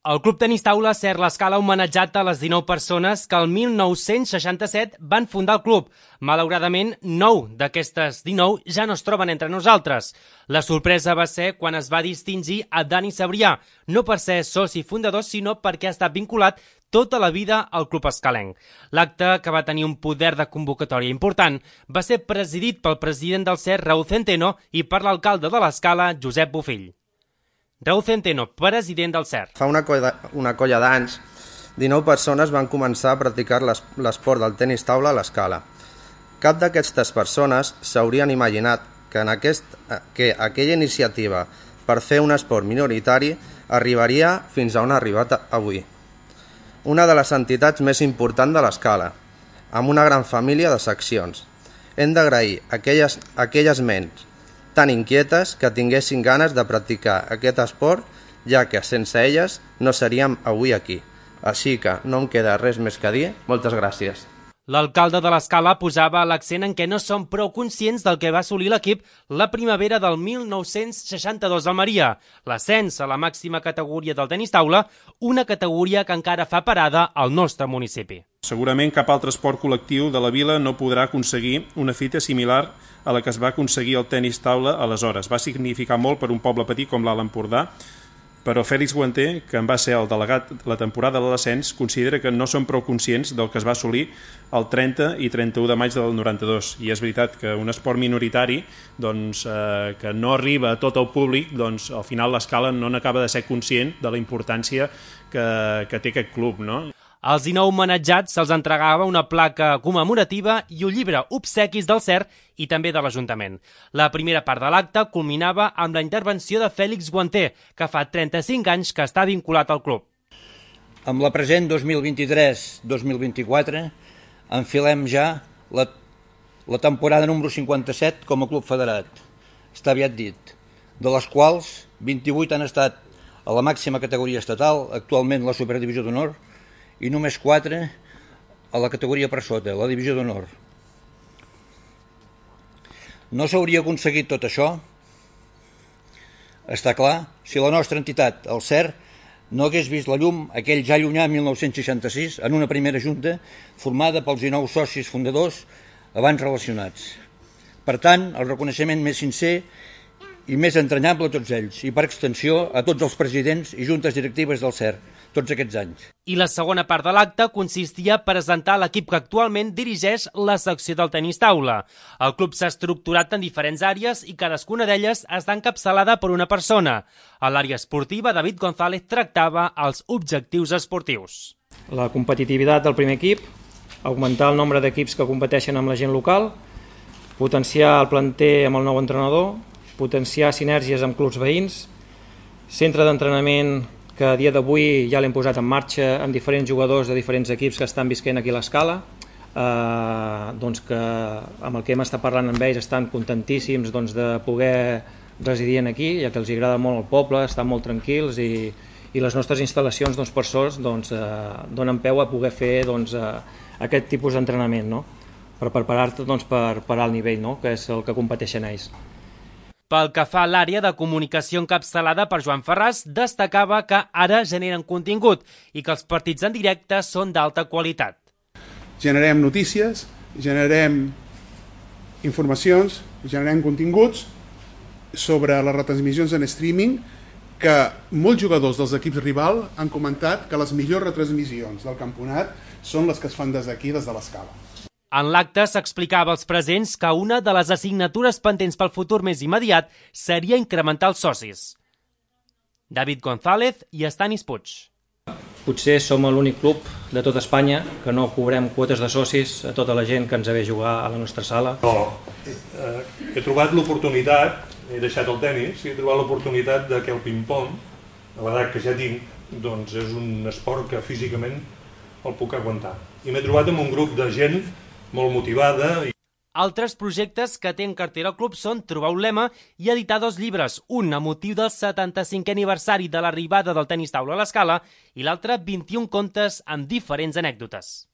El Club Tenis Taula Ser l'Escala ha homenatjat a les 19 persones que el 1967 van fundar el club. Malauradament, 9 d'aquestes 19 ja no es troben entre nosaltres. La sorpresa va ser quan es va distingir a Dani Sabrià, no per ser soci fundador, sinó perquè ha estat vinculat tota la vida al club escalenc. L'acte, que va tenir un poder de convocatòria important, va ser presidit pel president del Ser, Raúl Centeno, i per l'alcalde de l'Escala, Josep Bofill. Raúl Centeno, president del Ser. Fa una colla d'anys, 19 persones van començar a practicar l'esport del tenis taula a l'Escala. Cap d'aquestes persones s'haurien imaginat que aquella iniciativa per fer un esport minoritari arribaria fins a on ha arribat avui. Una de les entitats més importants de l'Escala, amb una gran família de seccions. Hem d'agrair a aquelles ments tan inquietes que tinguessin ganes de practicar aquest esport, ja que sense elles no seríem avui aquí. Així que no em queda res més que dir. Moltes gràcies. L'alcalde de l'Escala posava l'accent en què no som prou conscients del que va assolir l'equip la primavera del 1962 al Maria, l'ascens a la màxima categoria del tenis taula, una categoria que encara fa parada al nostre municipi. Segurament cap altre esport col·lectiu de la vila no podrà aconseguir una fita similar a la que es va aconseguir el tenis taula aleshores. Va significar molt per un poble petit com l'Alt Empordà, però Fèlix Guanter, que en va ser el delegat la temporada de l'ascens, considera que no són prou conscients del que es va assolir el 30 i 31 de maig del 92. I és veritat que un esport minoritari que no arriba a tot el públic, al final l'Escala no n'acaba de ser conscient de la importància que té aquest club, no? Als 19 homenatjats se'ls entregava una placa commemorativa i un llibre obsequis del Ser i també de l'Ajuntament. La primera part de l'acte culminava amb la intervenció de Fèlix Guanter, que fa 35 anys que està vinculat al club. Amb la present 2023-2024 enfilem ja la temporada número 57 com a club federat. Està aviat dit, de les quals 28 han estat a la màxima categoria estatal, actualment la Superdivisió d'Honor, i només 4 a la categoria per sota, la Divisió d'Honor. No s'hauria aconseguit tot això, està clar, si la nostra entitat, el Ser, no hagués vist la llum aquell ja llunyà 1966 en una primera junta formada pels 19 socis fundadors abans relacionats. Per tant, el reconeixement més sincer i més entranyable a tots ells, i per extensió a tots els presidents i juntes directives del Ser, tots aquests anys. I la segona part de l'acte consistia a presentar l'equip que actualment dirigeix la secció del tenis taula. El club s'ha estructurat en diferents àrees i cadascuna d'elles està encapçalada per una persona. A l'àrea esportiva, David González tractava els objectius esportius. La competitivitat del primer equip, augmentar el nombre d'equips que competeixen amb la gent local, potenciar el planter amb el nou entrenador, potenciar sinergies amb clubs veïns, centre d'entrenament que a dia d'avui ja l'hem posat en marxa amb diferents jugadors de diferents equips que estan visquent aquí a l'Escala, que amb el que hem estat parlant amb ells estan contentíssims de poder residir aquí, ja que els agrada molt el poble, estan molt tranquils i les nostres instal·lacions, per sort, donen peu a poder fer aquest tipus d'entrenament, per preparar-te per alt nivell, que és el que competeixen ells. Pel que fa a l'àrea de comunicació encapçalada per Joan Ferràs, destacava que ara generen contingut i que els partits en directe són d'alta qualitat. Generem notícies, generem informacions, generem continguts sobre les retransmissions en streaming, que molts jugadors dels equips rival han comentat que les millors retransmissions del campionat són les que es fan des d'aquí, des de l'Escala. En l'acte s'explicava als presents que una de les assignatures pendents pel futur més immediat seria incrementar els socis. David González i Estanis Puig. Potser som l'únic club de tota Espanya que no cobrem quotes de socis a tota la gent que ens ve a jugar a la nostra sala. He trobat l'oportunitat, he deixat el tenis, he trobat l'oportunitat que el ping-pong, a l'edat que ja tinc, és un esport que físicament el puc aguantar. I m'he trobat amb un grup de gent molt motivada. Altres projectes que té en cartera el club són trobar un lema i editar 2 llibres, un a motiu del 75è aniversari de l'arribada del tenis taula a l'Escala i l'altre 21 contes amb diferents anècdotes.